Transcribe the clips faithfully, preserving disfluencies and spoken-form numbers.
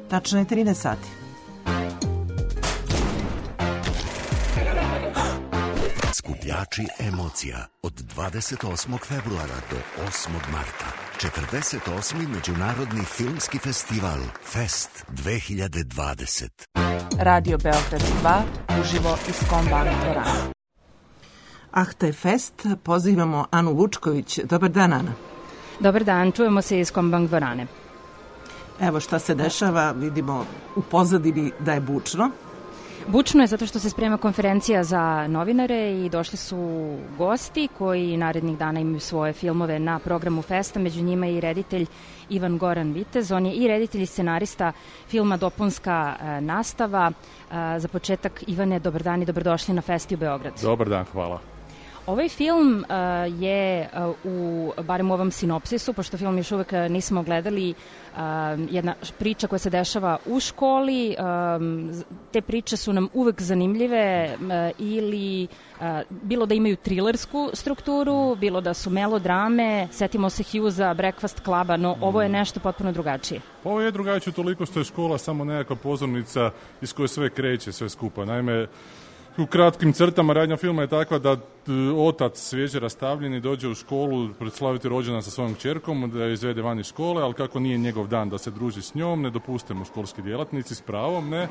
Tačno je trinaest sati. Skupljači emocija od dvadeset osmog februara do osmog marta. četrdeset osmi Međunarodni filmski festival Fest dve hiljade dvadeset. Radio Beograd dva, uživo iz Kombank dvorane. Ahtaj Fest, pozivamo Anu Vučković. Dobar dan, Ana. Dobar dan, čujemo se iz Kombank dvorane. Evo šta se dešava, vidimo u pozadini da je bučno. Bučno je zato što se sprema konferencija za novinare i došli su gosti koji narednih dana imaju svoje filmove na programu Festa, među njima i reditelj Ivan Goran Vitez. On je i reditelj i scenarista filma Dopunska e, nastava. E, za početak, Ivane, dobar dan i dobrodošli na Festi u Beograd. Dobar dan, hvala. Ovaj film uh, je uh, u, barem u ovom sinopsisu, pošto film još uvek nismo gledali, uh, jedna priča koja se dešava u školi. Um, te priče su nam uvek zanimljive uh, ili uh, bilo da imaju trilersku strukturu, bilo da su melodrame, setimo se Hughesa, Breakfast Cluba, no ovo je nešto potpuno drugačije. Ovo je drugačije toliko što je škola samo nekakva pozornica iz koje sve kreće, sve skupa. Naime, u kratkim crtama radnja filma je takva da otac svježe rastavljeni dođe u školu proslaviti rođendan sa svojom kćerkom, da je izvede van iz škole, ali kako nije njegov dan da se druži s njom, ne dopuste mu školski djelatnici s pravom, ne.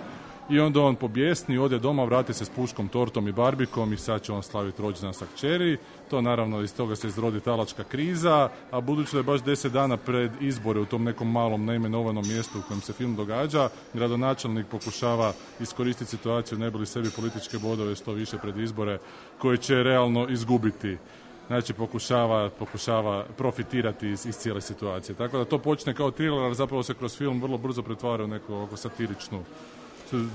I onda on pobjesni, ode doma, vrati se s puškom, tortom i barbikom i sad će on slaviti rođendan sa kćeri. To naravno iz toga se izrodi talačka kriza, a budući da je baš deset dana pred izbore u tom nekom malom neimenovanom mjestu u kojem se film događa, gradonačelnik pokušava iskoristiti situaciju ne bi li sebi političke bodove što više pred izbore koje će realno izgubiti. Znači pokušava, pokušava profitirati iz, iz cijele situacije. Tako da to počne kao thriller, ali zapravo se kroz film vrlo brzo pretvara u neku oko satiričnu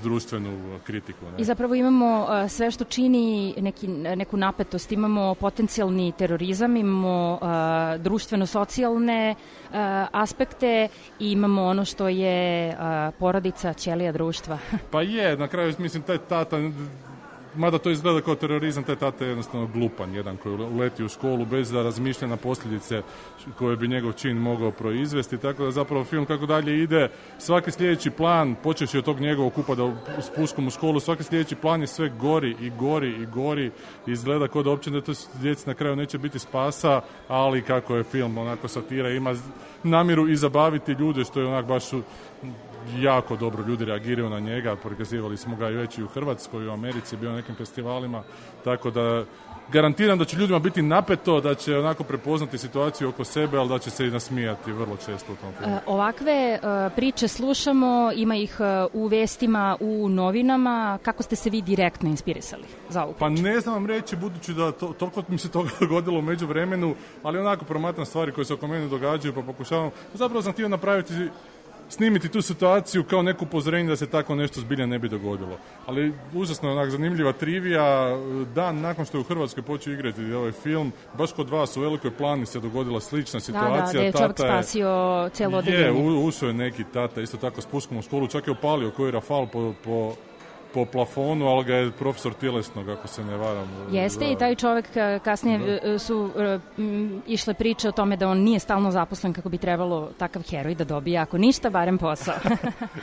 društvenu kritiku. Ne? I zapravo imamo uh, sve što čini neki, neku napetost. Imamo potencijalni terorizam, imamo uh, društveno-socijalne uh, aspekte i imamo ono što je uh, porodica, ćelija društva. Pa je, na kraju mislim taj tata, mada to izgleda kao terorizam, taj tata je jednostavno glupan, jedan koji uleti u školu bez da razmišlja na posljedice koje bi njegov čin mogao proizvesti, tako da zapravo film kako dalje ide, svaki sljedeći plan, počevši od tog njegovog upada s puškom u školu, svaki sljedeći plan je sve gori i gori i gori, izgleda kao da uopće da to djeci na kraju neće biti spasa, ali kako je film onako satira, ima namjeru i zabaviti ljude, što je onak baš jako dobro ljudi reagiraju na njega, prikazivali smo ga i već i u Hrvatskoj, u Americi, bio na nekim festivalima, tako da garantiram da će ljudima biti napeto, da će onako prepoznati situaciju oko sebe, ali da će se i nasmijati vrlo često u tom filmu. E, ovakve e, priče slušamo, ima ih e, u vestima, u novinama. Kako ste se vi direktno inspirisali za ovu priču? Pa ne znam vam reći, budući da to, toliko mi se toga dogodilo u međuvremenu, ali onako promatram stvari koje se oko mene događaju, pa pokušavam. Zapravo sam htio napraviti snimiti tu situaciju kao neku upozorenje da se tako nešto zbilja ne bi dogodilo. Ali užasno onak zanimljiva trivija, dan nakon što je u Hrvatskoj počeo igrati ovaj film, baš kod vas u Velikoj Plani se dogodila slična situacija. Da, da, da je čovjek spasio cijelo odeljenje. Je, ušao je neki tata, isto tako s puškom u školu, čak je opalio koji rafal po, po po plafonu, ali ga je profesor tjelesnog, ako se ne varam. Jeste da. I taj čovjek kasnije da. su m, išle priče o tome da on nije stalno zaposlen kako bi trebalo takav heroj da dobije, ako ništa, barem posao.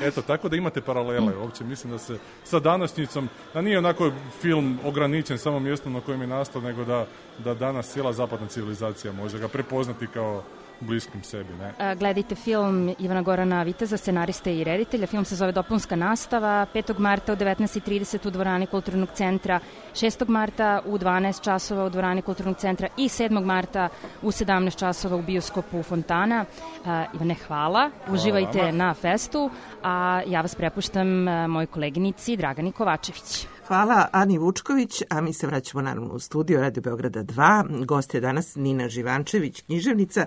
Eto, tako da imate paralele. Uopće mislim da se sa današnjicom, da nije onako film ograničen samo mjestom na kojem je nastao, nego da, da danas cijela zapadna civilizacija može ga prepoznati kao bliskim sebi, ne? Gledajte film Ivana Gorana Viteza, scenariste i reditelja. Film se zove Dopunska nastava. petog marta u devetnaest i trideset u dvorani Kulturnog centra, šestog marta u dvanaest časova u dvorani Kulturnog centra i sedmog marta u sedamnaest časova u bioskopu Fontana. Uh, Ivane, hvala. Uživajte hvala na festu, a ja vas prepuštam uh, moj koleginici Dragani Kovačević. Hvala Ani Vučković, a mi se vraćamo naravno u studio Radio Beograda dva. Gost je danas Nina Živančević, književnica.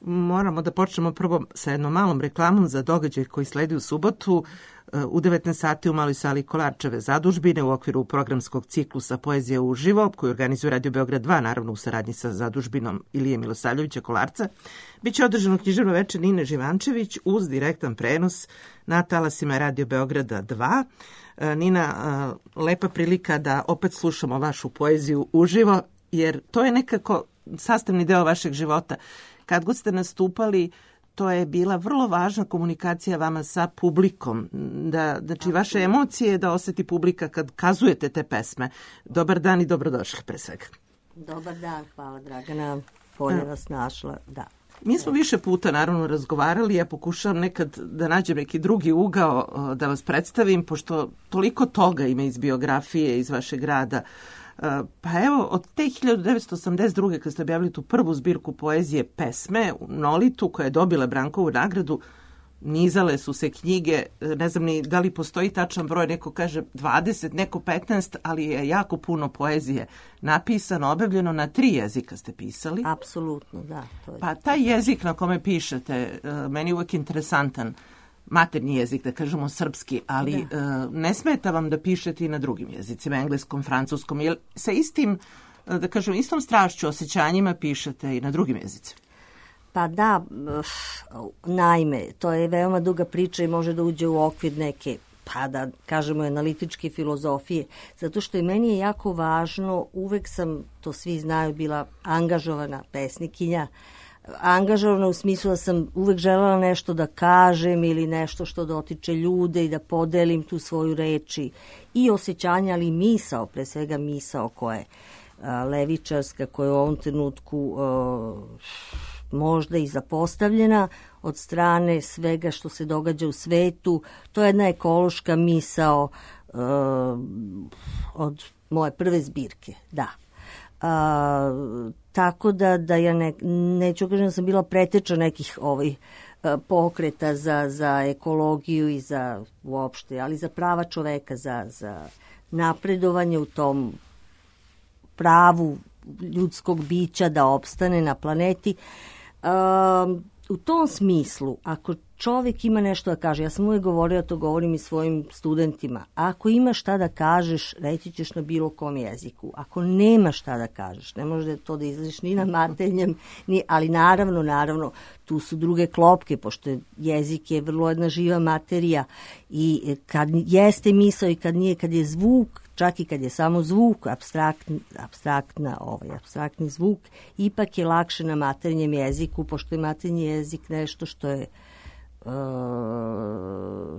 Moramo da počnemo prvo sa jednom malom reklamom za događaj koji sledi u subotu u devetnaest sati u maloj sali Kolarčeve zadužbine u okviru programskog ciklusa Poezija uživo, koju organizuje Radio Beograd dva, naravno u saradnji sa zadužbinom Ilije Milosavljevića Kolarca. Biće održano književno večer Nine Živančević uz direktan prenos na talasima Radio Beograda dva. Nina, lepa prilika da opet slušamo vašu poeziju uživo, jer to je nekako sastavni deo vašeg života. Kad god ste nastupali, to je bila vrlo važna komunikacija vama sa publikom, da, znači vaše emocije da osjeti publika kad kazujete te pesme. Dobar dan i dobrodošli pre svega. Dobar dan, hvala Dragana, bolje vas našla, da. Mi smo više puta naravno razgovarali, ja pokušavam nekad da nađem neki drugi ugao da vas predstavim, pošto toliko toga ima iz biografije, iz vašeg rada. Pa evo, od te hiljadu devetsto osamdeset druge kad ste objavili tu prvu zbirku poezije Pesme u Nolitu, koja je dobila Brankovu nagradu, nizale su se knjige, ne znam ni da li postoji tačan broj, neko kaže dvadeset, neko petnaest, ali je jako puno poezije napisano, objavljeno, na tri jezika ste pisali. Apsolutno, da. To je... Pa taj jezik na kome pišete, meni je uvek interesantan, maternji jezik, da kažemo srpski, ali da. Ne smeta vam da pišete i na drugim jezicima, engleskom, francuskom, jer sa istim, da kažem, istom strašću, osjećanjima pišete i na drugim jezicima. Pa da, naime, to je veoma duga priča i može da uđe u okvir neke, pa da kažemo, analitičke filozofije, zato što i meni je jako važno, uvek sam, to svi znaju, bila angažovana pesnikinja, angažovana u smislu da sam uvek želela nešto da kažem ili nešto što dotiče ljude i da podelim tu svoju reči i osjećanja, ali i misao, pre svega misao koja je a, levičarska, koja je u ovom trenutku a, možda i zapostavljena od strane svega što se događa u svetu. To je jedna ekološka misao uh, od moje prve zbirke, da. Uh, tako da, da ja ne, neću kažem da sam bila preteča nekih ovih uh, pokreta za, za ekologiju i za uopšte, ali za prava čoveka, za, za napredovanje u tom pravu ljudskog bića da opstane na planeti. Um, u tom smislu, ako čovjek ima nešto da kaže, ja sam uvijek govorila, to govorim i svojim studentima, ako ima šta da kažeš, reći ćeš na bilo kom jeziku. Ako nema šta da kažeš, ne može to da izliš ni na maternjem, ni, ali naravno, naravno, tu su druge klopke, pošto je jezik je vrlo jedna živa materija i kad jeste misao i kad nije, kad je zvuk, čak i kad je samo zvuk, abstraktn, abstraktna, ovaj, abstraktni zvuk, ipak je lakše na maternjem jeziku, pošto je maternji jezik nešto što je uh,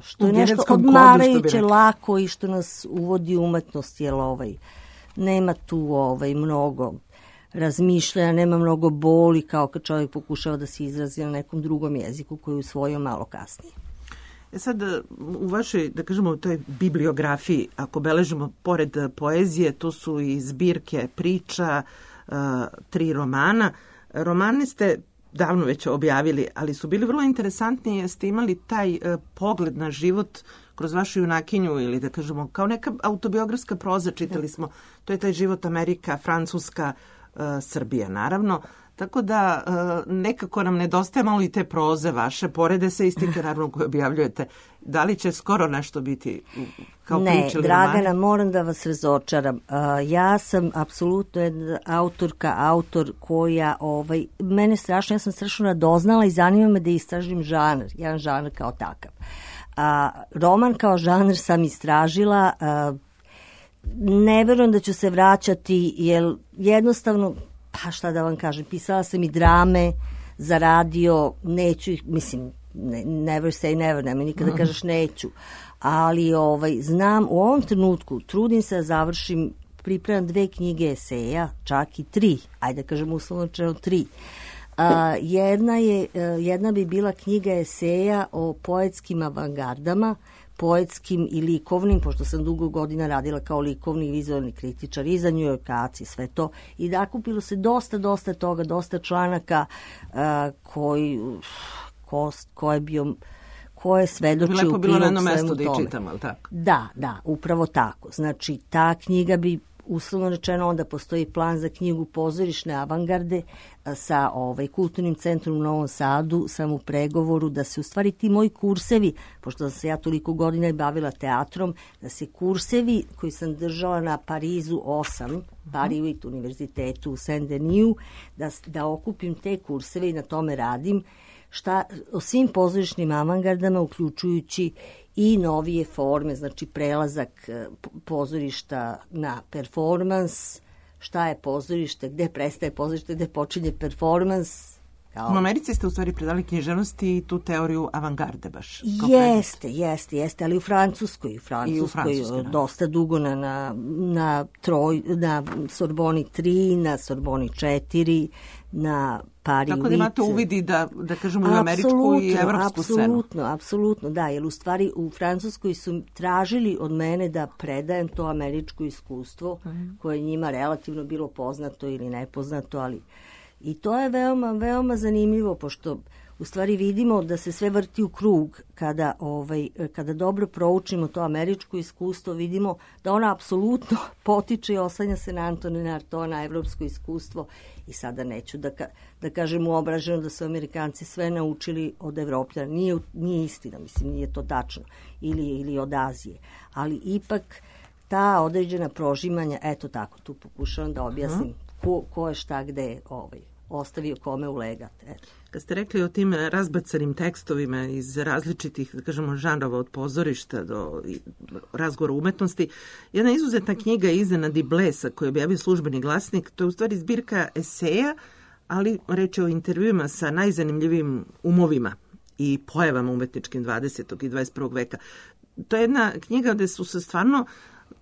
što je nešto odmarajuće, lako i što nas uvodi u umetnost, jer ovaj, nema tu ovaj, mnogo razmišljanja, nema mnogo boli kao kad čovjek pokušava da se izrazi na nekom drugom jeziku koji je usvojio malo kasnije. E sad, u vašoj, da kažemo, u toj bibliografiji, ako beležimo pored poezije, tu su i zbirke priča, uh, tri romana. Romane ste davno već objavili, ali su bili vrlo interesantni jer ste imali taj uh, pogled na život kroz vašu junakinju ili da kažemo kao neka autobiografska proza, čitali smo, to je taj život Amerika, Francuska, uh, Srbija naravno. Tako da nekako nam nedostaje malo i te proze vaše, porede se istike naravno koje objavljujete. Da li će skoro nešto biti kao ne, priče ili Dragana, romani? moram da vas razočaram. Ja sam apsolutno jedna autorka, autor koja, ovaj, mene strašno, ja sam strašno radoznala i zanima me da istražim žanr, jedan žanr kao takav. A, roman kao žanr sam istražila, a, ne verujem da ću se vraćati, jer jednostavno, pa šta da vam kažem, pisala sam i drame za radio, neću ih, mislim, ne, never say never, nema nikada da kažeš neću, ali ovaj, znam, u ovom trenutku trudim se da završim, pripremam dve knjige eseja, čak i tri, ajde da kažem uslovno čeno tri. A, jedna, je, jedna bi bila knjiga eseja o poetskim avangardama, poetskim i likovnim, pošto sam dugo godina radila kao likovni i vizualni kritičar i za New Yorkaci, sve to. I nakupilo se dosta, dosta toga, dosta članaka uh, koji, ko, ko je bio, ko je svedočio u prilog svemu tome. Lepo bilo na jedno mesto da i čitamo, ali tako? Da, da, upravo tako. Znači, ta knjiga bi, uslovno rečeno, onda postoji plan za knjigu Pozorišne avangarde sa ovaj, Kulturnim centrom u Novom Sadu, sam u pregovoru da se u stvari ti moji kursevi, pošto sam se ja toliko godina i bavila teatrom, da se kursevi koji sam držala na Parizu osam, Paris univerzitetu u Saint-Denis, da, da okupim te kurseve i na tome radim, šta, o svim pozorišnim avangardama, uključujući i novije forme, znači prelazak pozorišta na performans, šta je pozorište, gde prestaje pozorište, gde počinje performans, Kao... U Americi ste u stvari predali književnosti i tu teoriju avangarde baš. Jeste, jeste, jeste, ali u Francuskoj, u Francuskoj, I u Francuskoj dosta dugo na, na, na, troj, na Sorboni tri, na Sorboni četiri, na Pari Tako da imate uvidi da, da kažemo i američku i evropsku scenu. Apsolutno, apsolutno, da, jer u stvari u Francuskoj su tražili od mene da predajem to američko iskustvo mm. koje je njima relativno bilo poznato ili nepoznato, ali i to je veoma, veoma zanimljivo, pošto u stvari vidimo da se sve vrti u krug kada, ovaj, kada dobro proučimo to američko iskustvo, vidimo da ona apsolutno potiče i oslanja se na Antonina Artaud'a, evropsko iskustvo. I sada neću da, ka, da kažem uobraženo da su Amerikanci sve naučili od Evropljana. Nije, nije istina, mislim, nije to tačno. Ili, ili od Azije. Ali ipak ta određena prožimanja, eto tako, tu pokušavam da objasnim ko, ko je šta gde ovaj, ostavio kome u legat. Eto. Kad ste rekli o tim razbacanim tekstovima iz različitih, da kažemo, žanrova od pozorišta do razgovora umetnosti, jedna izuzetna knjiga Iznenadi Blesa koju objavio Službeni glasnik, to je u stvari zbirka eseja, ali reč je o intervjuima sa najzanimljivijim umovima i pojavama umetničkim dvadesetog i dvadeset prvog veka. To je jedna knjiga gde su se stvarno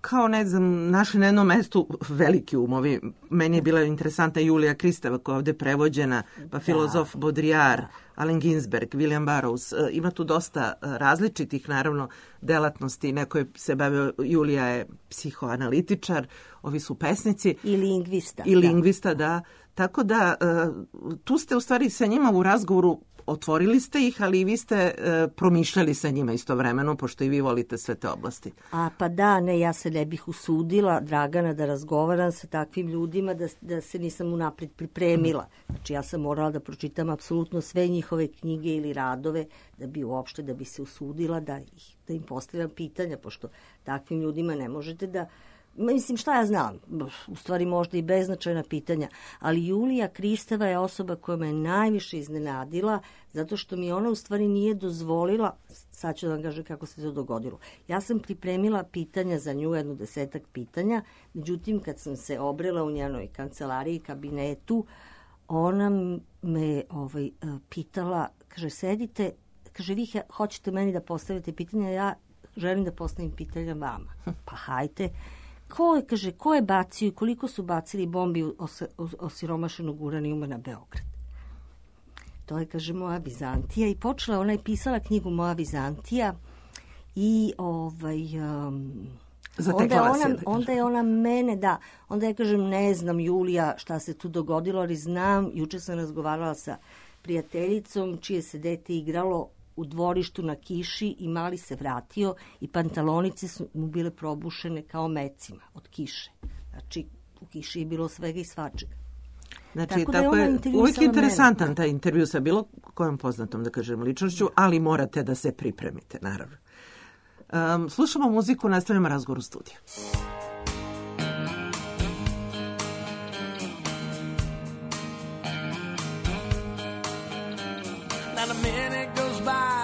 kao, ne znam, našli na jednom mestu veliki umovi. Meni je bila interesantna Julija Kristeva koja je ovde prevođena, pa da, filozof Baudrillard, Allen Ginsberg, William Burroughs. Ima tu dosta različitih, naravno, delatnosti. Neko je se bavio, Julija je psihoanalitičar, ovi su pesnici. I lingvista. I lingvista, da. da. Tako da, tu ste u stvari sa njima u razgovoru otvorili ste ih, ali i vi ste e, promišljali sa njima istovremeno, pošto i vi volite sve te oblasti. A pa da, ne, ja se ne bih usudila, Dragana, da razgovaram sa takvim ljudima, da, da se nisam unapred pripremila. Znači, ja sam morala da pročitam apsolutno sve njihove knjige ili radove, da bi uopšte, da bi se usudila, da, ih, da im postavljam pitanja, pošto takvim ljudima ne možete da... Mislim, šta ja znam, u stvari možda i beznačajna pitanja, ali Julija Kristeva je osoba koja me najviše iznenadila, zato što mi ona u stvari nije dozvolila, sad ću da vam kažem kako se to dogodilo. Ja sam pripremila pitanja za nju, jedno desetak pitanja, međutim kad sam se obrela u njenoj kancelariji, kabinetu, ona me ovaj, pitala, kaže, sedite, kaže, vi hoćete meni da postavite pitanja, ja želim da postavim pitanja vama. Pa hajte. Ko je, kaže, ko je bacio i koliko su bacili bombi os, os, osiromašenog uranijuma na Beograd? To je, kaže, Moja Vizantija i počela, ona je pisala knjigu Moja Vizantija i ovaj... Um, onda, je ona, onda je ona mene, da, onda ja kažem, ne znam, Julija, šta se tu dogodilo, ali znam, juče sam razgovarala sa prijateljicom čije se dete igralo u dvorištu na kiši i mali se vratio i pantalonice su mu bile probušene kao mecima od kiše. Znači, u kiši je bilo svega i svačega. Znači, tako, tako je, je uvijek interesantan mene. Taj intervju sa bilo kojom poznatom, da kažem, ličnošću, ali morate da se pripremite, naravno. Um, slušamo muziku, nastavljamo razgovor u studiju.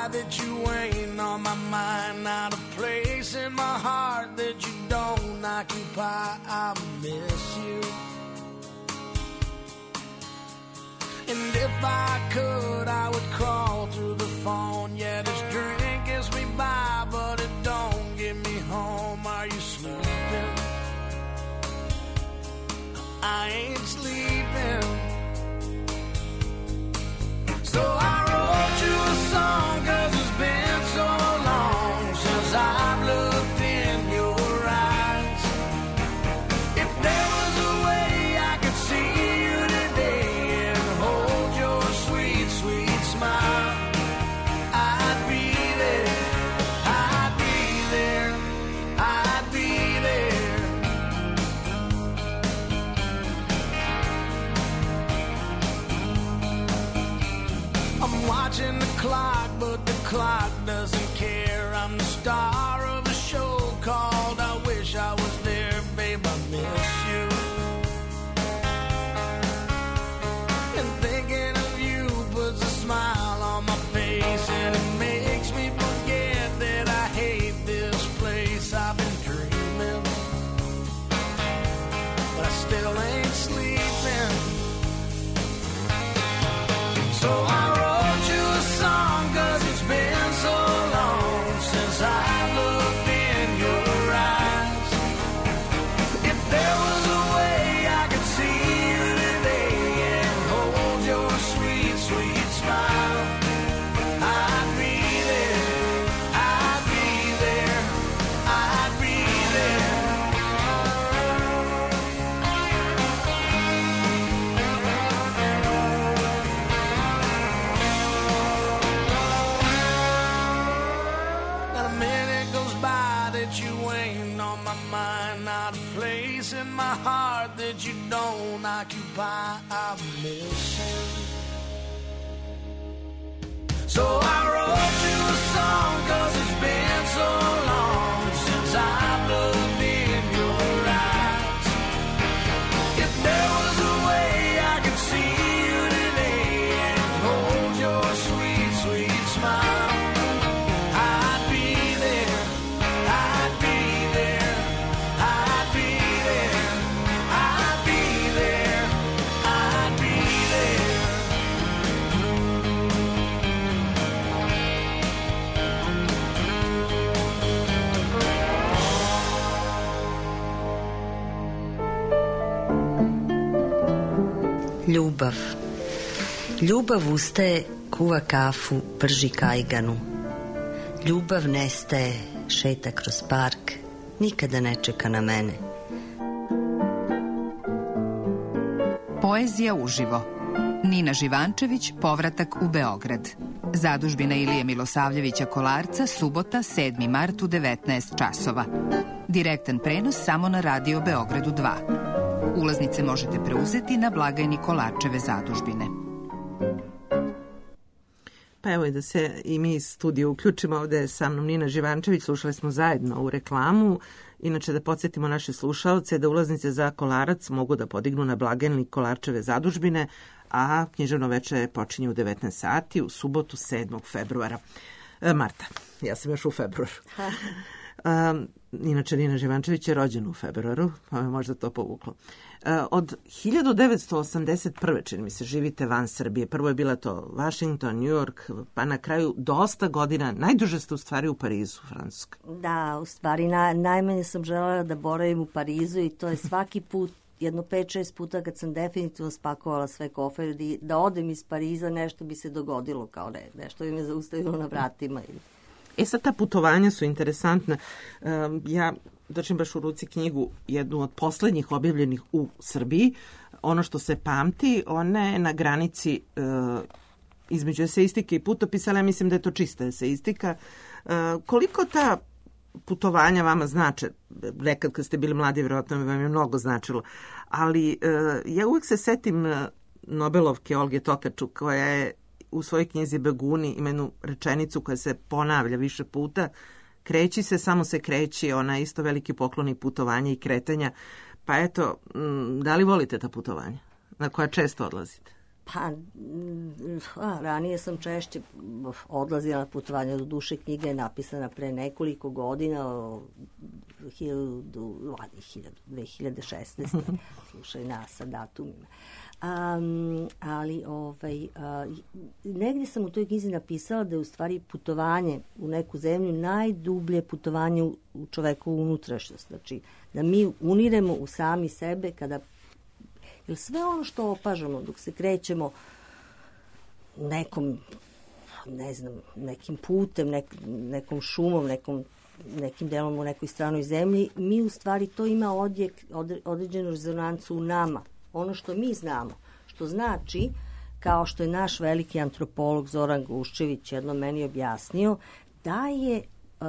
That you ain't on my mind, not a place in my heart that you don't occupy. I miss you. And if I could, I would crawl through the phone. Yeah, this drink gets me by, but it don't get me home. Are you sleeping? I ain't sleeping. So I wrote you a song, 'cause it's been so long since I've looked in your eyes. If there was a way I could see you today and hold your sweet, sweet smile, I'd be there. a minute goes by that you ain't on my mind. Not a place in my heart that you don't occupy. I'm missing. So I wrote you a song, 'cause it's been so long since I've looked in your eyes. If there was a way I could see you today and hold your sweet, sweet smile, I'd be there, I'd be there, I'd be there, I'd be there, I'd be there. Ljubav. Ljubav ustaje, kuva kafu, prži kajganu. Ljubav nestaje, šeta kroz park, nikada ne čeka na mene. Poezija uživo. Nina Živančević, Povratak u Beograd. Zadužbina Ilije Milosavljevića Kolarca, subota, sedmi mart u devetnaest časova. Direktan prenos samo na Radio Beogradu dva. Ulaznice možete preuzeti na blagajni Kolarčeve zadužbine. Pa evo i da se i mi iz studija uključimo. Ovde je sa mnom Nina Živančević, slušali smo zajedno u reklamu. Inače da podsjetimo naše slušaoce da ulaznice za Kolarac mogu da podignu na blagajni Kolarčeve zadužbine, a književno veče počinje u devetnaest sati u subotu sedmog februara. E, Marta, ja sam još u februaru. Um, inače, Nina Živančević je rođena u februaru, pa me možda to povuklo. Uh, od hiljadu devetsto osamdeset prve čini mi se, živite van Srbije. Prvo je bila to Washington, New York, pa na kraju dosta godina, najduže ste u stvari u Parizu, Francuska. Da, u stvari na, najmanje sam želela da boravim u Parizu i to je svaki put, jedno pet šest puta kad sam definitivno spakovala sve kofere, da, da odem iz Pariza, nešto bi se dogodilo, kao ne, nešto bi me zaustavilo na vratima. E sad, ta putovanja su interesantna. Um, ja držim baš u ruci knjigu, jednu od poslednjih objavljenih u Srbiji. Ono što se pamti, ona je na granici uh, između eseistike i putopisa, ali ja mislim da je to čista eseistika. Uh, koliko ta putovanja vama znače? Nekad kad ste bili mladi, vjerojatno vam je mnogo značilo. Ali uh, ja uvek se setim Nobelovke Olge Tokarčuk, koja je u svojoj knjizi Beguni ima jednu rečenicu koja se ponavlja više puta. Kreći se, samo se kreći, ona je isto veliki poklon i putovanja i kretanja. Pa eto, da li volite ta putovanja na koja često odlazite? Pa, a, ranije sam češće odlazila na putovanja, do duše knjiga je napisana pre nekoliko godina, o dve hiljade šesnaeste. Slušaj nas sa datumima. Um, ali ovaj, uh, negdje sam u toj knjizi napisala da je u stvari putovanje u neku zemlju najdublje putovanje u, u čovekovu unutrašnjost. Znači, da mi uniremo u sami sebe kada, jer sve ono što opažamo dok se krećemo nekom, ne znam, nekim putem, nek, nekom šumom, nekom, nekim delom u nekoj stranoj zemlji, mi u stvari to ima odjek, od, određenu rezonancu u nama. Ono što mi znamo, što znači, kao što je naš veliki antropolog Zoran Guščević jednom meni objasnio, da je uh,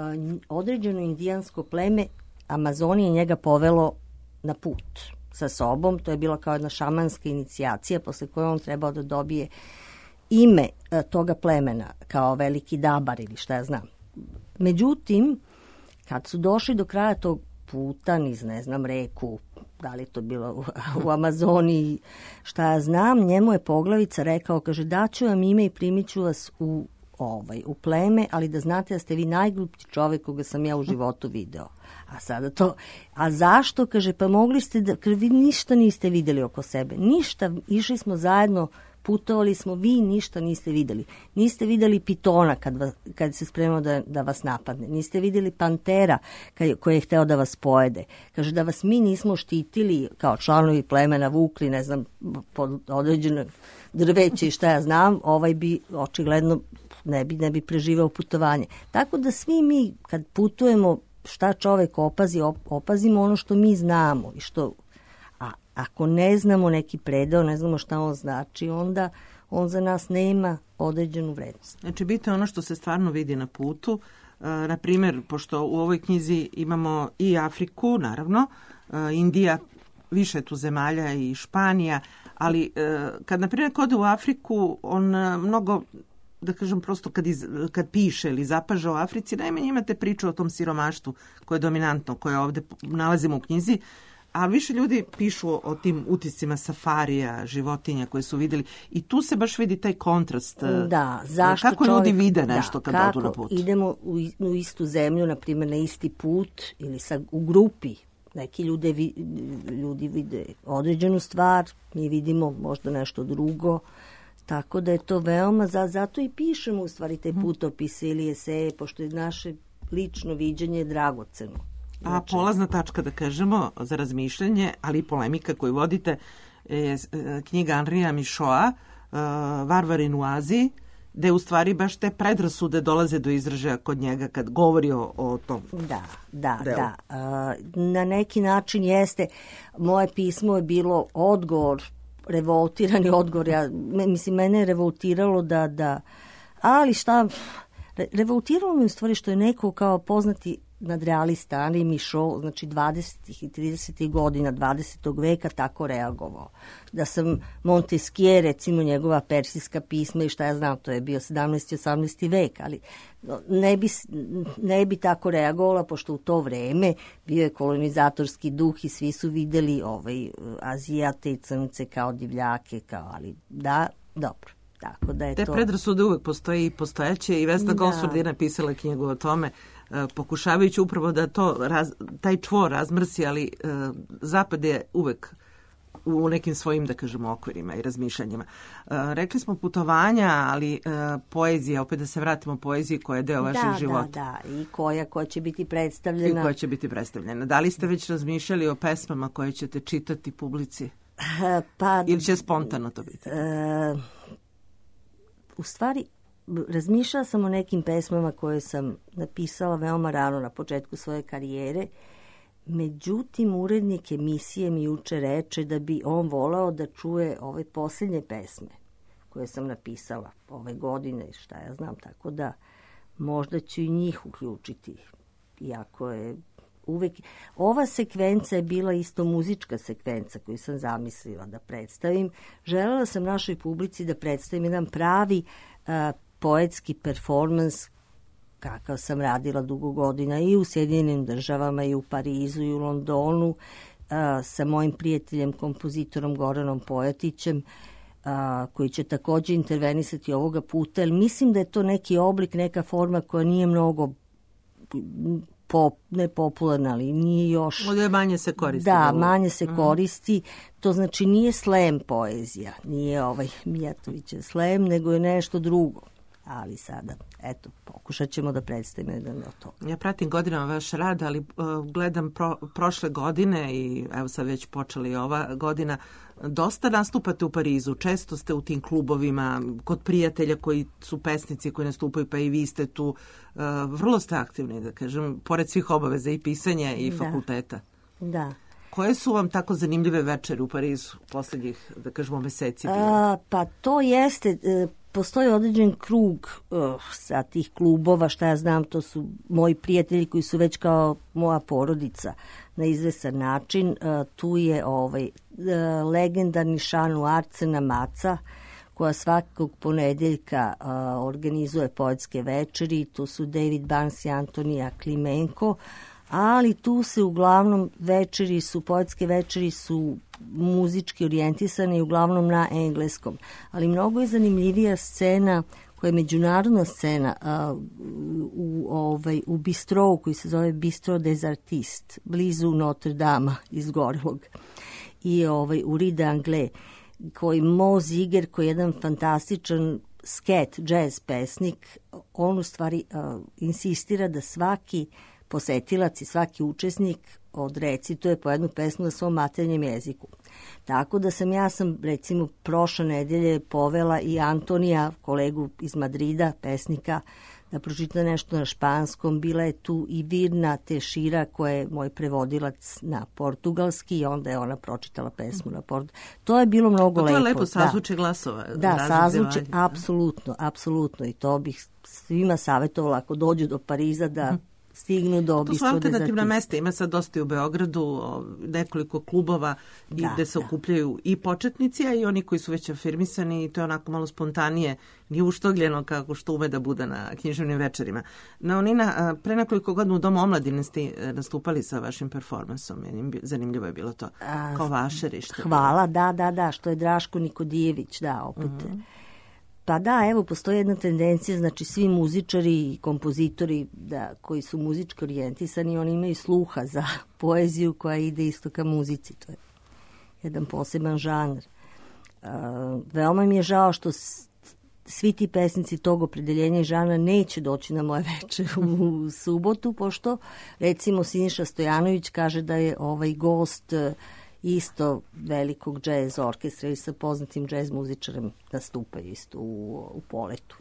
određeno indijansko pleme Amazonije njega povelo na put sa sobom. To je bila kao jedna šamanska inicijacija posle koje on trebao da dobije ime uh, toga plemena kao veliki dabar ili šta ja znam. Međutim, kad su došli do kraja tog puta niz, ne znam, reku, da li je to bilo u, u Amazoniji, šta ja znam, njemu je poglavica rekao, kaže, daću vam ime i primit ću vas u, ovaj, u pleme, ali da znate da ste vi najgluplji čovek koga sam ja u životu video. A sada to, a zašto, kaže, pa mogli ste da, kaže, vi ništa niste videli oko sebe, ništa, išli smo zajedno, putovali smo, vi ništa niste videli. Niste videli pitona kad, vas, kad se spremao da, da vas napadne. Niste videli pantera kad, koji je hteo da vas pojede. Kaže da vas mi nismo štitili kao članovi plemena, vukli, ne znam, pod određeno drveće i šta ja znam, ovaj bi očigledno ne bi, ne bi preživao putovanje. Tako da svi mi kad putujemo, šta čovek opazi, op, opazimo ono što mi znamo i što... Ako ne znamo neki predeo, ne znamo šta on znači, onda on za nas nema određenu vrednost. Znači, bitno je ono što se stvarno vidi na putu, na primjer, pošto u ovoj knjizi imamo i Afriku, naravno, Indija, više tu zemalja i Španija, ali kad, na primjer, ode u Afriku, on mnogo, da kažem prosto, kad, iz, kad piše ili zapaža o Africi, najmanje imate priču o tom siromaštvu koje je dominantno, koje ovdje nalazimo u knjizi, a više ljudi pišu o, o tim utiscima safarija, životinja koje su vidjeli i tu se baš vidi taj kontrast. Da, zašto kako čovjek, ljudi vide nešto da, kad kako odu na put. Idemo u, u istu zemlju, na primjer na isti put ili sa, u grupi. Neki ljude, vi, ljudi vide određenu stvar, mi vidimo možda nešto drugo. Tako da je to veoma, za, zato i pišemo u stvari te putopise ili eseje, pošto je naše lično viđenje dragoceno. A polazna tačka, da kažemo, za razmišljanje, ali i polemika koju vodite, je knjiga Henria Michaud, Varvarin u Aziji, gde u stvari baš te predrasude dolaze do izražaja kod njega kad govori o, o tom. Da, da, delu. da. Na neki način jeste, moje pismo je bilo odgovor, revoltirani odgovor. Ja, mislim, mene je revoltiralo da, da ali šta, re, revoltiralo me u stvari što je neko kao poznati nadrealista Henri Michaud, znači dvadesetih i tridesetih godina dvadesetog veka tako reagovao. Da sam Montesquieu, recimo njegova persijska pisma i šta ja znam, to je bio sedamnaesti i osamnaesti vek, ali ne bi, ne bi tako reagovala, pošto u to vreme bio je kolonizatorski duh i svi su videli ovaj, Azijate i Crnce kao divljake, kao, ali da, dobro. Tako da je Te to... predrasude uvek postoji i postojeće i Vesna Da. Gosford je napisala knjigu o tome, pokušavajući upravo da to raz, taj čvor razmrsi, ali uh, Zapad je uvek u nekim svojim, da kažemo, okvirima i razmišljanjima. Uh, rekli smo putovanja, ali uh, poezija, opet da se vratimo poeziji koja je deo vašeg da, života. Da, da, i koja, koja će biti I predstavljena. koja će biti predstavljena. Da li ste već razmišljali o pesmama koje ćete čitati publici? Pa, Ili će spontano to biti? Uh, u stvari, razmišljala sam o nekim pesmama koje sam napisala veoma rano na početku svoje karijere. Međutim, urednik emisije mi juče reče da bi on volao da čuje ove posljednje pesme koje sam napisala ove godine, šta ja znam, tako da možda ću i njih uključiti. Iako je uvek... Ova sekvenca je bila isto muzička sekvenca koju sam zamislila da predstavim. Želela sam našoj publici da predstavim jedan pravi uh, poetski performans kakav sam radila dugo godina i u Sjedinjenim državama i u Parizu i u Londonu a, sa mojim prijateljem, kompozitorom Goranom Pojatićem, a, koji će također intervenisati ovoga puta, jer mislim da je to neki oblik, neka forma koja nije mnogo pop, ne popularna, ali nije još... Ovdje manje se koristi. Da, manje se koristi. To znači nije slam poezija, nije ovaj Mijatovićev slam, nego je nešto drugo. Ali sada, eto, pokušat ćemo da predstavimo jedan od toga. Ja pratim godinama vaš rad, ali uh, gledam pro, prošle godine i evo sad već počeli ova godina, dosta nastupate u Parizu, često ste u tim klubovima, kod prijatelja koji su pesnici koji nastupaju, pa i vi ste tu, uh, vrlo ste aktivni, da kažem, pored svih obaveza i pisanja i Da. fakulteta. Da. Koje su vam tako zanimljive večeri u Parizu posljednjih, da kažemo, meseci? bile? A, pa to jeste, e, postoji određen krug uh, sa tih klubova, šta ja znam, to su moji prijatelji koji su već kao moja porodica na izvesan način. Uh, tu je ovaj, uh, legendarni Šanu Arcena Maca, koja svakog ponedeljka uh, organizuje poetske večeri. Tu su David Barnes i Antonija Klimenko, ali tu se uglavnom večeri su, poetske večeri su muzički orijentisane i uglavnom na engleskom. Ali mnogo je zanimljivija scena koja je međunarodna scena a, u, ovaj, u Bistrou koji se zove Bistro des Artistes, blizu Notre Dame izgorelog. I ovaj, u Rue d'Anglais, koji Mo Ziger, koji je jedan fantastičan sket, jazz pesnik, on u stvari a, insistira da svaki posetilac i svaki učesnik odrecituje po jednu pesmu na svom maternjem jeziku. Tako da sam ja sam recimo prošle nedelje povela i Antonija, kolegu iz Madrida, pesnika, da pročita nešto na španskom. Bila je tu i Virna Tešira koja je moj prevodilac na portugalski i onda je ona pročitala pesmu na portugalski. To je bilo mnogo lepo. To je lepo sazvuče glasova. Da, sazvuče, apsolutno, apsolutno i to bih svima savjetovala ako dođu do Pariza da stignu do To su alternativna mesta, ima sad dosta i u Beogradu, nekoliko klubova da, gde se da. okupljaju i početnici, a i oni koji su već afirmisani i to je onako malo spontanije, nije uštogljeno kako što ume da bude na književnim večerima. No, Nina, pre nekoliko godina u Domu omladine ste nastupali sa vašim performansom, zanimljivo je bilo to, kao vašerište. Hvala, da, da, da, što je Draško Nikodijević, da, opet. Mm-hmm. Pa da, evo, postoji jedna tendencija, znači svi muzičari i kompozitori da, koji su muzički orijentisani, oni imaju sluha za poeziju koja ide isto ka muzici. To je jedan poseban žanr. Uh, veoma mi je žao što s, svi ti pesnici tog opredeljenja i žana neće doći na moje večer u subotu, pošto recimo Siniša Stojanović kaže da je ovaj gost isto velikog džez orkestra i sa poznatim džez muzičarem nastupaju isto u, u Poletu.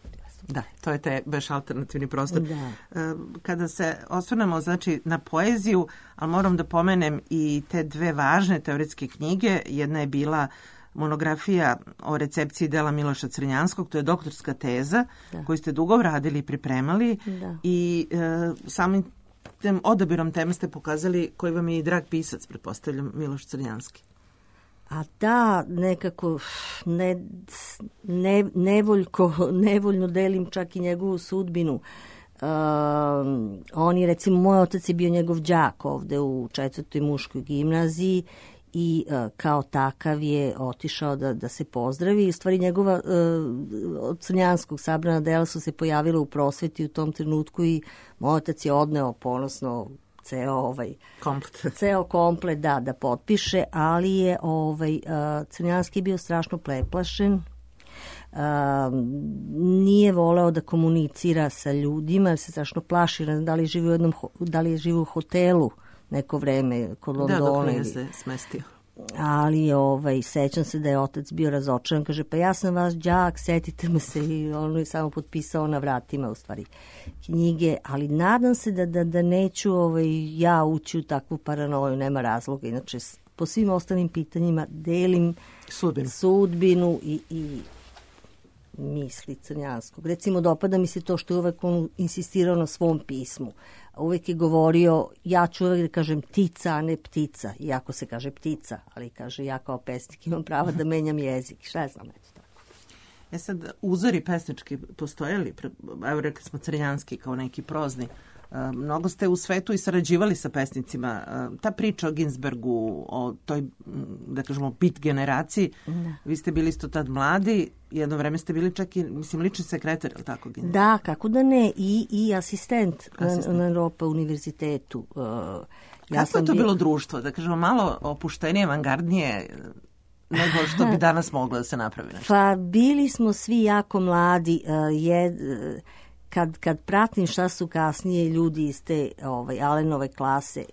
Da, to je taj baš alternativni prostor. Da. Kada se osvrnemo znači, na poeziju, ali moram da pomenem i te dve važne teoretske knjige. Jedna je bila monografija o recepciji dela Miloša Crnjanskog, to je doktorska teza da. koju ste dugo radili i pripremali da. i e, samim tem odabirom teme ste pokazali koji vam je i drag pisac, pretpostavljam, Miloš Crnjanski. A da, nekako ne, ne, nevoljko, nevoljno delim čak i njegovu sudbinu. Uh, on je, recimo, moj otac je bio njegov đak ovde u četvrtoj muškoj gimnaziji i uh, kao takav je otišao da, da se pozdravi. U stvari njegova uh, od Crnjanskog sabrana dela su se pojavila u prosveti u tom trenutku i moj otac je odneo ponosno ceo ovaj komplet. ceo komplet da da potpiše, ali je ovaj uh, Crnjanski bio strašno preplašen. Uh, nije voleo da komunicira sa ljudima, jer se strašno plaši, ne znam da li živi u jednom da li je živi u hotelu neko vreme kod Londona. Da, dok nije se smestio. Ali ovaj, sećam se da je otac bio razočaran, kaže pa ja sam vaš đak, setite me se i on je samo potpisao na vratima u stvari knjige, ali nadam se da, da, da neću ovaj, ja ući u takvu paranoju, nema razloga, inače po svim ostalim pitanjima delim sudbinu, sudbinu i, i misli Crnjanskog. Recimo, dopada mi se to što je uvek on insistirao na svom pismu. Uvek je govorio, ja ću uvek da kažem tica, a ne ptica. Iako se kaže ptica, ali kaže ja kao pesnik imam prava da menjam jezik. Šta je znam, eto tako. E sad, uzori pesnički postojali? Evo rekli smo Crnjanski kao neki prozni. Mnogo ste u svetu i sarađivali sa pesnicima. Ta priča o Ginsbergu, o toj, da kažemo, beat generaciji, da. Vi ste bili isto tad mladi, jedno vreme ste bili čak i, mislim, lični sekretar, je li tako? Ginsberg? Da, kako da ne, i, i asistent, asistent. na, na Europa univerzitetu. Uh, ja Kako je to bio... bilo društvo? Da kažemo, malo opuštenije, avangardnije nego što bi danas moglo da se napravi nešto? Pa bili smo svi jako mladi, uh, je... Uh, Kad, kad pratim šta su kasnije ljudi iz te ovaj, Allenove klase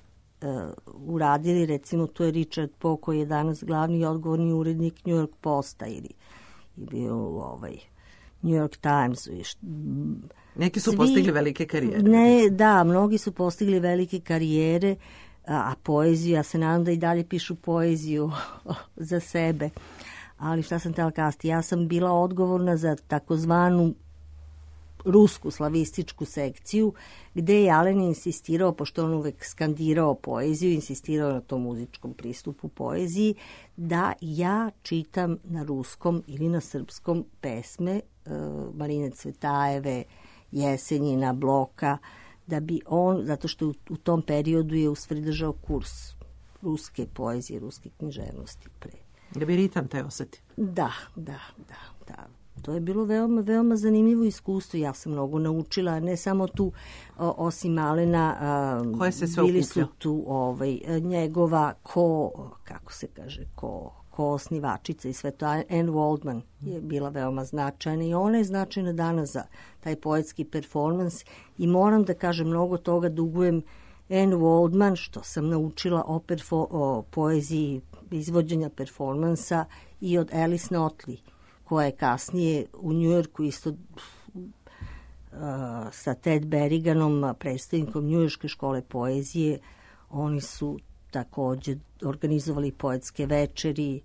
uh, uradili, recimo to je Richard Poe koji je danas glavni i odgovorni urednik New York Posta ili je bio ovaj, New York Times. Neki su Svi, postigli velike karijere. Ne, da, mnogi su postigli velike karijere, a, a poeziju, ja se nadam da i dalje pišu poeziju za sebe. Ali šta sam tela kasti? Ja sam bila odgovorna za takozvanu rusku slavističku sekciju, gde je Alen insistirao, pošto on uvek skandirao poeziju, insistirao na tom muzičkom pristupu poeziji, da ja čitam na ruskom ili na srpskom pesme uh, Marine Cvetajeve, Jesenjina, Bloka, da bi on, zato što u, u tom periodu je u stvari držao kurs ruske poezije, ruske književnosti pre. Da bi ritam te oseti. Da, da, da, da. To je bilo veoma, veoma zanimljivo iskustvo. Ja sam mnogo naučila, ne samo tu, o, osim Alena, a, koje se sve bili okupljao? Su tu ovaj, njegova ko, kako se kaže, ko, ko osnivačica i sve to. Anne Waldman je bila veoma značajna i ona je značajna danas za taj poetski performans i moram da kažem, mnogo toga dugujem Anne Waldman, što sam naučila o, perfo, o poeziji izvođenja performansa i od Alice Notley, koja je kasnije u Njujorku isto sa Ted Berriganom, predstavnikom Njujorške škole poezije. Oni su takođe organizovali poetske večeri.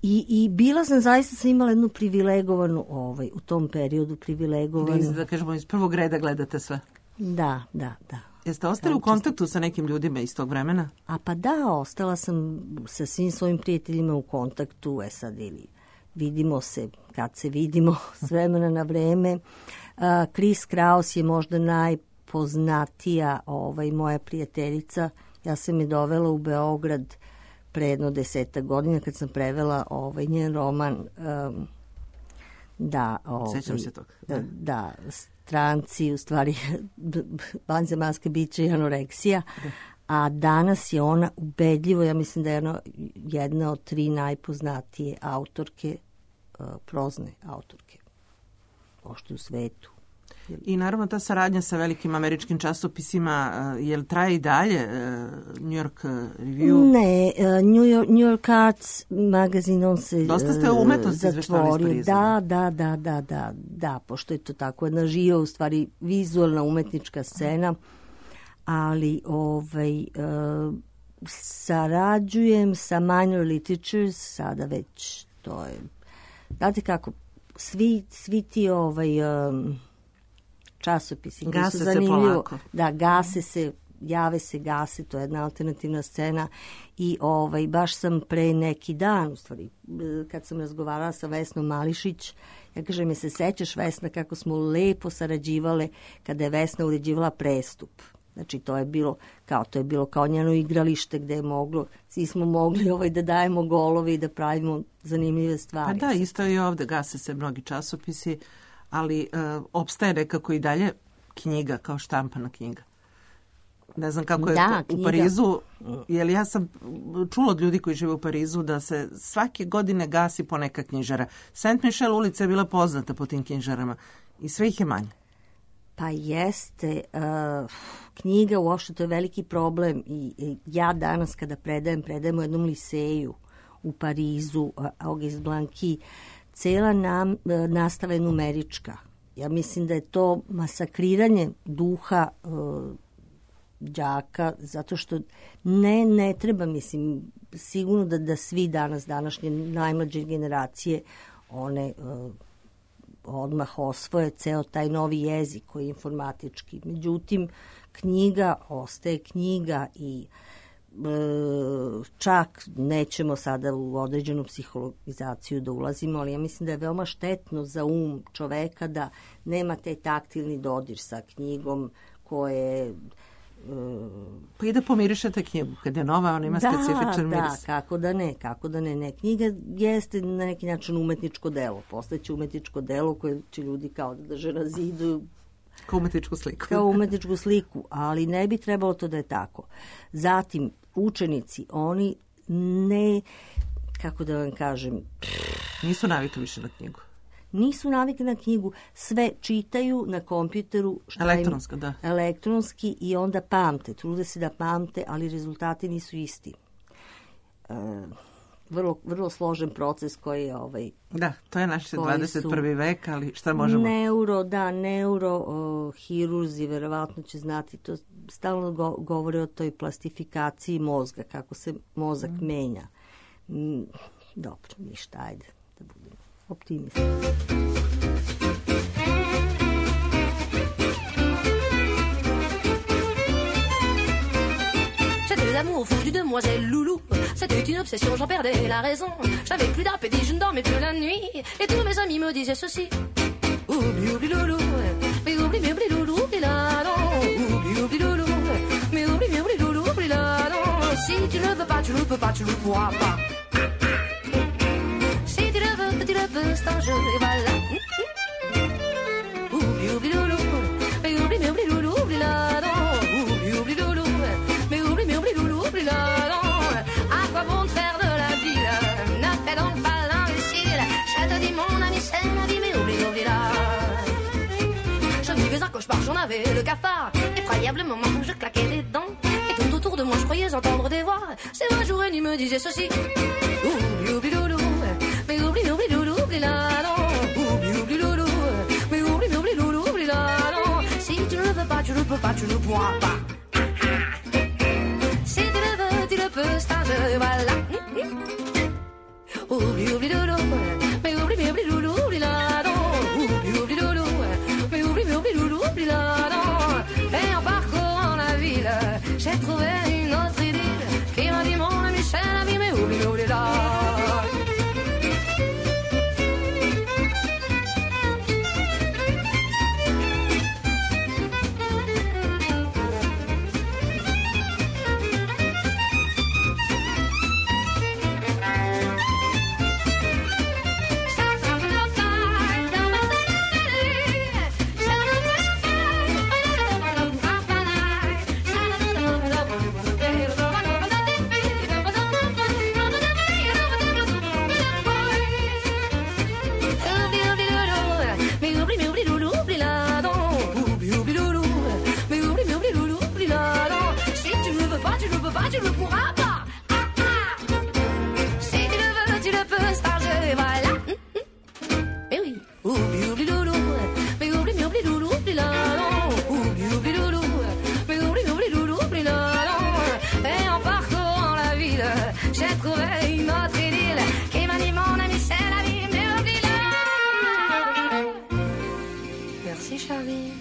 I, i bila sam, zaista sam imala jednu privilegovanu, ovaj, u tom periodu privilegovanu. Da, da kažemo, iz prvog reda gledate sve. Da, da, da. Jeste ostali u kontaktu sa nekim ljudima iz tog vremena? A pa da, ostala sam sa svim svojim prijateljima u kontaktu, e sad ili vidimo se kad se vidimo s vremena na vreme. Uh, Chris Kraus je možda najpoznatija ovaj, moja prijateljica. Ja sam je dovela u Beograd pre jedno deseta godina kad sam prevela ovaj, njen roman um, da, ovaj, Sećam se toga. Da, da stranci, u stvari vanzemaljska bića i anoreksija, da. A danas je ona ubedljivo, ja mislim da je ona jedna od tri najpoznatije autorke, uh, prozne autorke, ošte u svetu. I naravno ta saradnja sa velikim američkim časopisima, uh, je li traje i dalje? Uh, New York Review? Ne, uh, New, York, New York Arts magazin, on se Dosta ste o umetnosti izveštali iz Pariza. Da, da, da, da, da, da, pošto je to tako jedna živa, u stvari vizualna umetnička scena, ali ovaj, uh, sarađujem sa Minor Literatures, sada već to je, znate kako, svi, svi ti ovaj... Um, časopisi koji su zanimljivo. Da, gase se, jave se, gase, to je jedna alternativna scena i ovaj, baš sam pre neki dan, u stvari, kad sam razgovarala sa Vesnom Mališić, ja kažem, je se sećaš, Vesna, kako smo lepo sarađivale kada je Vesna uređivala Prestup. Znači, to je bilo kao, to je bilo kao njeno igralište gde je moglo, svi smo mogli ovaj, da dajemo golove i da pravimo zanimljive stvari. Pa da, isto i ovde, gase se mnogi časopisi, ali uh, opstaje nekako i dalje knjiga kao štampana knjiga. Ne znam kako je da, to u Parizu, jer ja sam čula od ljudi koji žive u Parizu da se svake godine gasi po neka knjižara. Saint Michel ulica je bila poznata po tim knjižarama i sve ih je manje. Pa jeste, uh, knjiga uopšte to je veliki problem i, i ja danas kada predajem, predajem u jednom liseju u Parizu, uh, Auguste Blanqui, cela nam, nastava je numerička. Ja mislim da je to masakriranje duha uh, đaka, zato što ne, ne treba, mislim, sigurno da, da svi danas, današnje najmlađe generacije, one uh, odmah osvoje ceo taj novi jezik koji je informatički. Međutim, knjiga ostaje knjiga i čak nećemo sada u određenu psihologizaciju da ulazimo, ali ja mislim da je veoma štetno za um čoveka da nema taj taktilni dodir sa knjigom koje... Pa i da pomirišete knjigu, kad je nova, ona ima da, specifičan miris. Da, kako da ne, kako da ne. ne. Knjiga jeste na neki način umetničko delo, postaće umetničko delo koje će ljudi kao da drže na zidu, kao umetničku sliku. Kao umetničku sliku, ali ne bi trebalo to da je tako. Zatim, učenici, oni ne, kako da vam kažem... Nisu navikli više na knjigu. Nisu navikli na knjigu, sve čitaju na kompjuteru. Elektronsko, da. Elektronski i onda pamte, trude se da pamte, ali rezultati nisu isti. E, vrlo, vrlo složen proces koji je ovaj... Da, to je naš dvadeset prvi vek, ali šta možemo? Neuro, da, neurohirurzi verovatno će znati, to stalno go, govore o toj plastifikaciji mozga, kako se mozak mm. menja. Mm, dobro, ništa, ajde da budemo optimisti. L'amour fou du demoiselle Loulou, c'était une obsession, j'en perdais la raison. J'avais plus d'appétit, je ne dormais plus la nuit, et tous mes amis me disaient ceci: oublie, oublie Loulou, mais oublie, mais oublie Loulou, oublie la non. Oublie, oublie Loulou, mais oublie, mais oublie Loulou, oublie la non. Si tu le veux pas, tu le peux pas, tu le pourras pas. Si tu le veux, tu le veux, c'est un jeu, et voilà. Oublie, oublie Loulou, mais oublie, mais oublie Loulou, oublie la non. Oublie, oublie Loulou, mais oublie, mais oublie Loulou, oublie la non. À quoi bon te faire de la ville? Ne fais donc pas l'imbécile. Je te dis mon ami, c'est la vie, mais oublie, oublie la. Je vivais un cauchemar, j'en avais le cafard. Effroyablement, je claquais des dents. Et tout autour de moi, je croyais entendre des voix. C'est vrai, jour et nuit me disait ceci: oublie, oublie Loulou, mais oublie, oublie Loulou, oublie la non. Oublie, oublie Loulou, mais oublie, mais oublie Loulou, oublie la. pas, tu ne pourras pas. Si tu le veux, tu le peux, stage, voilà. Oublie, oublie, doudou, mais oublie, mais oublie, doudou, oublie là, non. Oublie, oublie, doudou, mais oublie, mais oublie, doudou, oublie là, non. Et en parcourant la ville, j'ai trouvé une autre idylle qui m'a dit mon ami, c'est la vie, mais oublie, mais oublie là. Tu ne pourras pas. Ah, ah. Si tu le veux, tu le peux, stage, voilà. Mais oui, oublie, oublie, doudou, mais oublie, mais oublie, doudou, oublie là, non. Oublie, oublie, doudou, mais oublie, mais oublie, doudou, oublie là, non. Et en parcourant la ville, j'ai trouvé une autre idylle qui m'a dit mon ami, c'est la vie, mais oublie là. Merci, Charlie.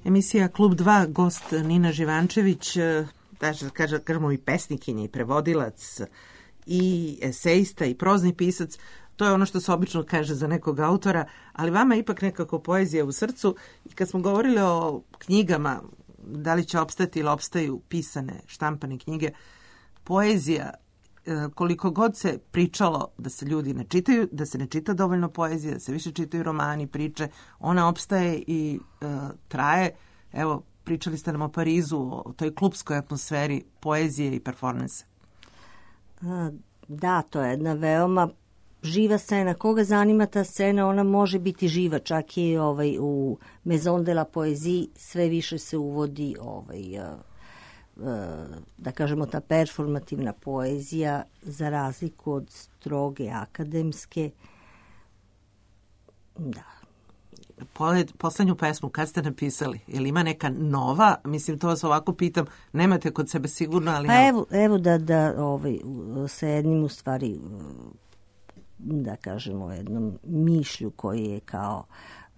Emisija Klub dva, gost Nina Živančević, kaže, kaže, kažemo i pesnikinja i prevodilac i esejista i prozni pisac. To je ono što se obično kaže za nekog autora, ali vama je ipak nekako poezija u srcu. I kad smo govorili o knjigama, da li će opstati ili opstaju pisane, štampane knjige, poezija, koliko god se pričalo da se ljudi ne čitaju, da se ne čita dovoljno poezija, da se više čitaju romani, priče, ona opstaje i uh, traje. Evo, pričali ste nam o Parizu, o toj klupskoj atmosferi poezije i performansa. Da, to je jedna veoma živa scena. Koga zanima ta scena, ona može biti živa. Čak i ovaj, u Maison de la Poésie sve više se uvodi ovaj, uh, da kažemo ta performativna poezija za razliku od stroge akademske. Da. Poslednju pesmu kad ste napisali? Je li ima neka nova? Mislim, to vas ovako pitam. Nemate kod sebe sigurno, ali... Pa evo, evo da, da ovaj, sa jednim u stvari, da kažemo, jednom mišlju koji je kao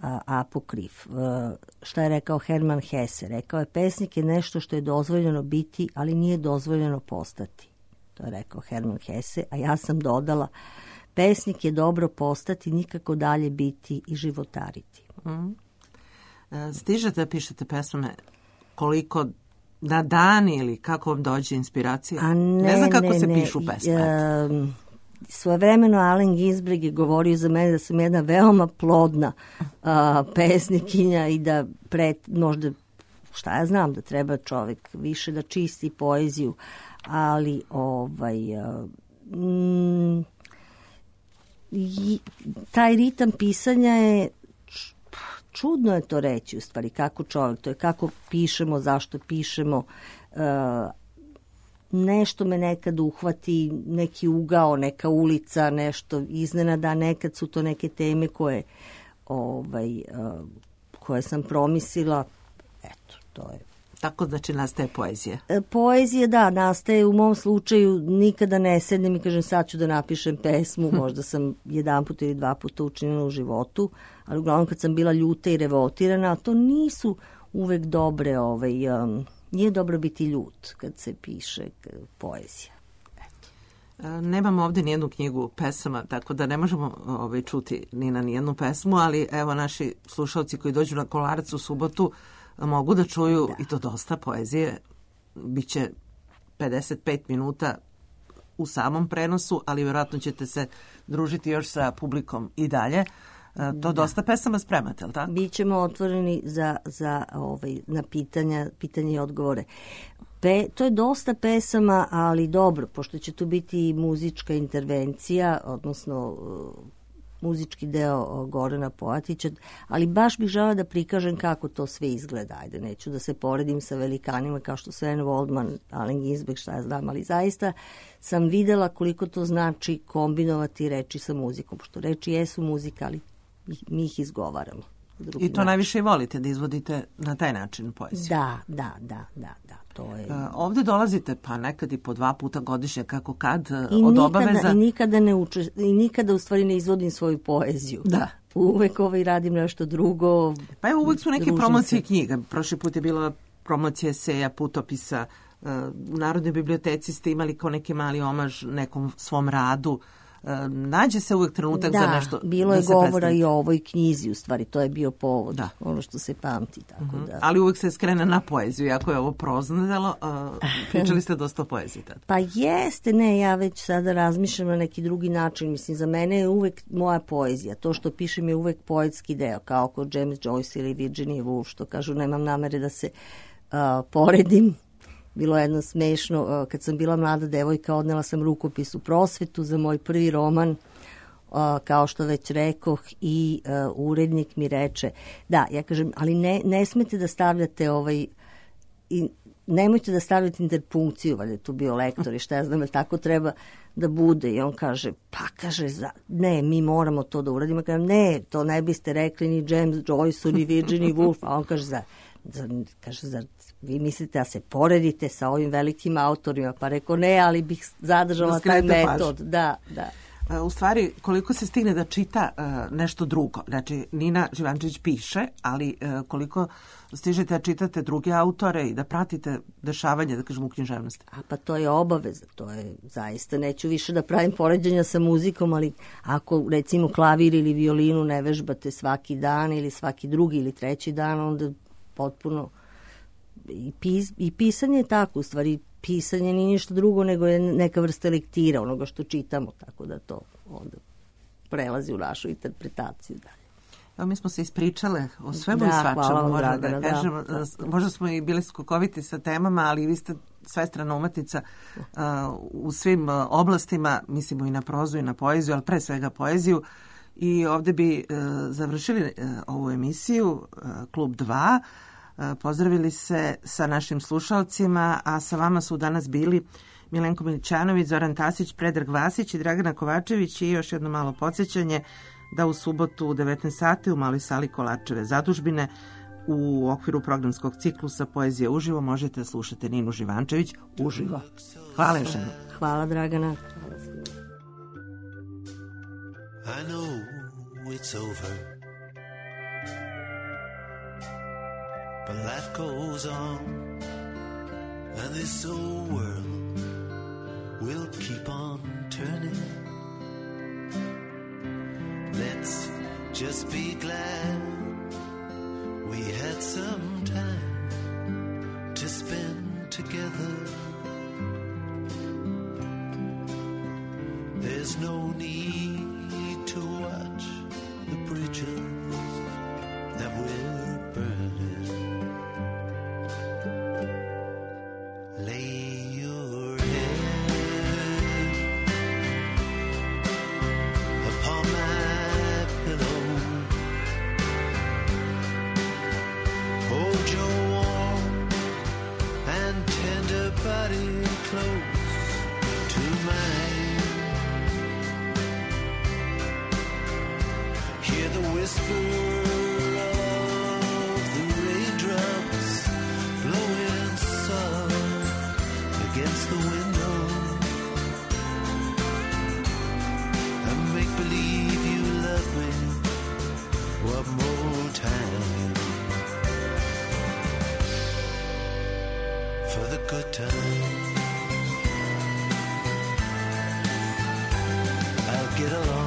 a, apokrif. A, šta je rekao Herman Hesse? Rekao je, pesnik je nešto što je dozvoljeno biti, ali nije dozvoljeno postati. To je rekao Herman Hesse, a ja sam dodala, pesnik je dobro postati, nikako dalje biti i životariti. Mm. Stižete da pišete pesme koliko na dan ili kako vam dođe inspiracija? A ne, ne znam kako ne, se ne. pišu pesme. Um, svojevremeno Allen Ginsberg je govorio za mene da sam jedna veoma plodna uh, pesnikinja i da pred, možda, šta ja znam, da treba čovjek više da čisti poeziju, ali ovaj... Uh, mm, i, taj ritam pisanja je čudno je to reći u stvari, kako čovjek, to je kako pišemo, zašto pišemo, uh, nešto me nekad uhvati, neki ugao, neka ulica, nešto iznenada, nekad su to neke teme koje, ovaj, uh, koje sam promislila, eto, to je. Tako znači nastaje poezija? E, poezija, da, nastaje u mom slučaju, nikada ne sednem i kažem sad ću da napišem pesmu, možda sam jedan put ili dva puta učinila u životu, ali uglavnom kad sam bila ljuta i revoltirana, to nisu uvek dobre, ovaj, um, nije dobro biti ljut kad se piše poezija. Nemamo ovde nijednu knjigu pesama, tako da ne možemo ovaj, čuti ni na nijednu pesmu, ali evo naši slušalci koji dođu na Kolarac u subotu mogu da čuju da. I to dosta poezije. Biće pedeset pet minuta u samom prenosu, ali vjerojatno ćete se družiti još sa publikom i dalje. To da. Dosta pesama spremate, ali tako? Bićemo otvoreni za, za ovaj, na pitanja, pitanje i odgovore. Pe, to je dosta pesama, ali dobro, pošto će tu biti i muzička intervencija, odnosno uh, muzički deo Gorana Poatića, ali baš bih žela da prikažem kako to sve izgleda. Ajde, neću da se poredim sa velikanima kao što Sven Woldman, Allen Ginsberg, šta ja znam, ali zaista sam videla koliko to znači kombinovati reči sa muzikom, pošto reči jesu muzika, ali mi ih izgovaramo. drugi I to način. najviše i volite da izvodite na taj način poeziju. Da, da, da, da, da. To je... Uh, ovde dolazite pa nekad i po dva puta godišnje, kako kad, uh, I od nikada, obaveza. I nikada ne uče, i nikada u stvari ne izvodim svoju poeziju. Da. Uvek ovaj radim nešto drugo. Pa evo, uvek su neke družim promocije se. knjiga. Prošli put je bila promocija eseja, putopisa. Uh, u Narodnoj biblioteci ste imali kao neki mali omaž nekom svom radu. Uh, nađe se uvek trenutak da, za nešto. bilo da je se govora predstavi. i o ovoj knjizi, u stvari, to je bio povod, Da. ono što se pamti, tako Mhm. da. Ali uvek se skrene na poeziju, iako je ovo prozno delo, uh, pričali ste dosta o poeziji tada. Pa jeste, ne, ja već sada razmišljam na neki drugi način, mislim, za mene je uvek moja poezija, to što pišem je uvek poetski deo, kao kod James Joyce ili Virginia Woolf, što kažu, nemam namere da se uh, poredim. Bilo je jedno smešno, uh, kad sam bila mlada devojka, odnela sam rukopis u prosvetu za moj prvi roman, uh, kao što već rekoh, i uh, urednik mi reče, da, ja kažem, ali ne, ne smete da stavljate ovaj, i nemojte da stavljate interpunkciju, valjda je tu bio lektor i šta ja znam, ali tako treba da bude. I on kaže, pa kaže, za, ne, mi moramo to da uradimo. Kažem, ne, to ne biste rekli ni James Joyce ni Virginia Woolf. A on kaže, za, za, kaže, za, vi mislite da se poredite sa ovim velikim autorima? Pa rekao, ne, ali bih zadržala Da taj skrenete metod. Da, da. U stvari, koliko se stigne da čita uh, nešto drugo. Znači, Nina Živančević piše, ali uh, koliko stižete da čitate druge autore i da pratite dešavanje, da kažem, u književnosti. A pa to je obaveza, to je zaista, neću više da pravim poređenja sa muzikom, ali ako recimo klavir ili violinu ne vežbate svaki dan ili svaki drugi ili treći dan, onda potpuno i, pis, i pisanje je tako, u stvari pisanje nije ništa drugo nego je neka vrsta lektira onoga što čitamo, tako da to onda prelazi u našu interpretaciju dalje. Evo, mi smo se ispričale o svemu Da, i hvala svačemu, vam, možda Dragana, da da. kažemo. Možda smo i bili skokoviti sa temama, ali vi ste svestrana umetnica uh, u svim uh, oblastima, mislimo i na prozu i na poeziju, ali pre svega poeziju. I ovde bi uh, završili uh, ovu emisiju, uh, Klub dva. Uh, pozdravili se sa našim slušalcima, a sa vama su danas bili Milenko Milićanović, Zoran Tasić, Predrag Vasić i Dragana Kovačević. I još jedno malo podsjećanje da u subotu u devetnaest sati u maloj sali Kolarčeve zadužbine u okviru programskog ciklusa Poezija uživo možete da slušate Ninu Živančević uživo. Hvala još jednom. Hvala, Dragana. I know it's over, but life goes on, and this old world will keep on turning. Let's just be glad we had some time to spend together. There's no need to watch the bridges that we're burning. Lay your head upon my pillow. Hold your warm and tender body close to mine. Hear the whisper of the raindrops blowing soft against the window, and make believe you love me one more time, for the good time. I'll get along